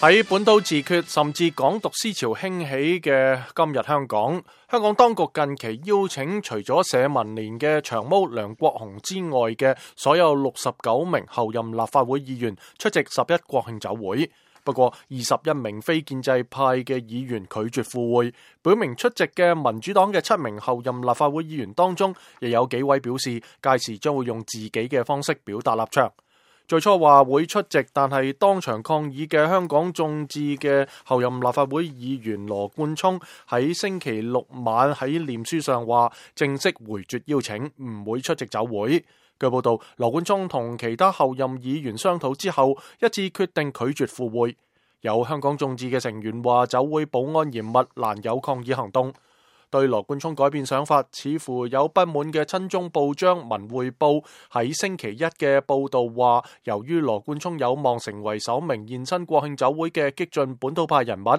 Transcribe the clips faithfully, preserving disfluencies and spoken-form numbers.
喺本土自決甚至港獨思潮興起嘅今日香港，香港當局近期邀請除咗社民連嘅長毛梁國雄之外嘅所有六十九名候任立法會議員出席十一國慶酒會。不過二十一名非建制派嘅議員拒絕赴會，表明出席嘅民主黨嘅七名候任立法會議員當中，亦有幾位表示屆時將會用自己嘅方式表達立場。最初話會出席，但係當場抗議嘅香港眾志嘅候任立法會議員羅冠聰喺星期六晚喺臉書上話正式回絕邀請，唔會出席酒會。據報道，羅冠聰同其他候任議員商討之後，一致決定拒絕赴會。有香港眾志嘅成員話酒會保安嚴密，難有抗議行動。對羅冠聰改變想法，似乎有不滿嘅親中報章《文匯報》喺星期一嘅報導話，由於羅冠聰有望成為首名現身國慶酒會嘅激進本土派人物，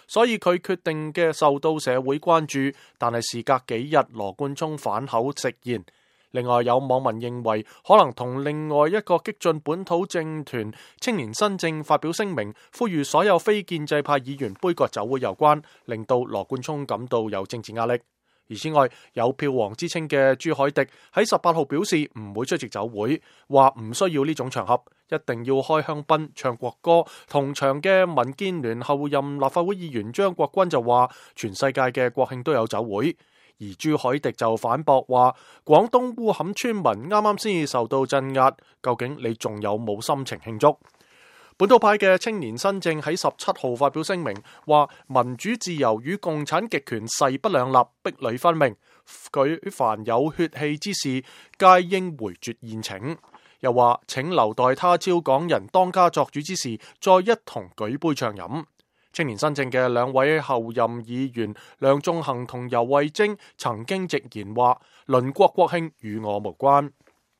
所以佢決定嘅受到社會關注。但係事隔幾日，羅冠聰反口直言。另外有網民認為可能同另外一個激進本土政團青年新政發表聲明，呼籲所有非建制派議員杯葛酒會有關，令到羅冠聰感到有政治壓力。而此外，有票王之稱嘅朱凱廸喺十八號表示唔會出席酒會，話唔需要呢種場合，一定要開香檳唱國歌。同場嘅民建聯候任立法會議員張國軍就話全世界嘅國慶都有酒會。而朱凱廸就反駁話，廣東烏坎村民啱啱先至受到鎮壓，究竟你仲有冇心情慶祝？本土派嘅青年新政喺十七號發表聲明，話民主自由與共產極權勢不兩立，壁壘分明，舉凡有血氣之士，皆應回絕宴請。又話請留待他朝港人當家作主之時，再一同舉杯暢飲。青年新政嘅兩位候任議員梁頌恆同游蕙禎曾經直言話，鄰國國慶與我無關。